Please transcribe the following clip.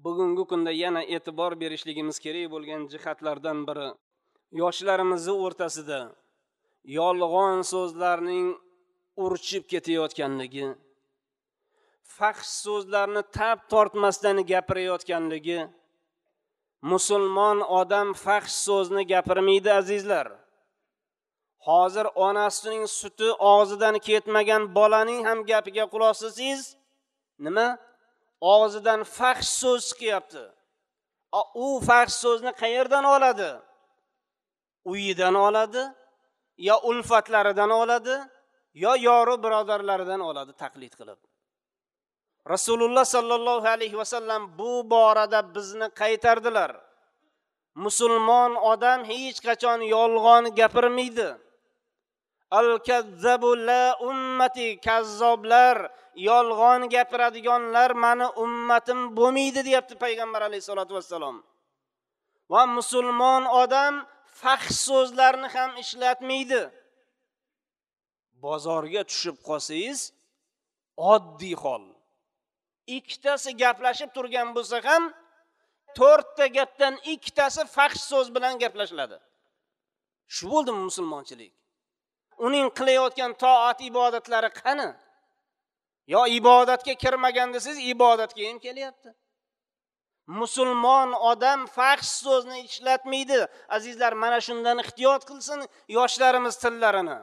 Bugungi kunda yana e'tibor berishligimiz kerak bo'lgan jihatlardan biri yoshlarimizni o'rtasida yolg'on so'zlarning urchib ketayotganligi, fahsh so'zlarni tab tortmasdan gapirayotganligi. Musulmon odam fahsh so'zni gapirmaydi azizlar. Hozir onasining suti og'zidan ketmagan bolaning ham gapiga quloq solsangiz, nima? Og'zidan fahsh so'z chiqyapti. U fahsh so'zni qayerdan oladi? Uyidan oladi, yo ulfatlaridan oladi, yo yoru birodarlaridan oladi taqlid qilib. Rasululloh sallallohu alayhi vasallam bu borada bizni qaytardilar. Musulmon odam hech qachon yolg'on gapirmaydi. Al-kazzabu la ummati, kazzoblar, yolg'on gapiradiganlar meni ummatim bo'lmaydi deyapti payg'ambar alayhisolatu vassalom. Va musulmon odam fahsh so'zlarni ham ishlatmaydi. Bozorga tushib qolsangiz, oddiy hol. Ikkitasi gaplashib turgan bo'lsa ham, to'rtta gapdan ikkitasi fahsh so'z bilan gaplashiladi. Shu bo'ldimi musulmonchilik? Uning qilayotgan toat ibodatlari qani? Yo ibodatga kirmagan desiz, ibodatga ham kelyapti. Musulmon odam fahsh so'zni ishlatmaydi. Azizlar, mana shundan ehtiyot qilsin yoshlarimiz tillarini.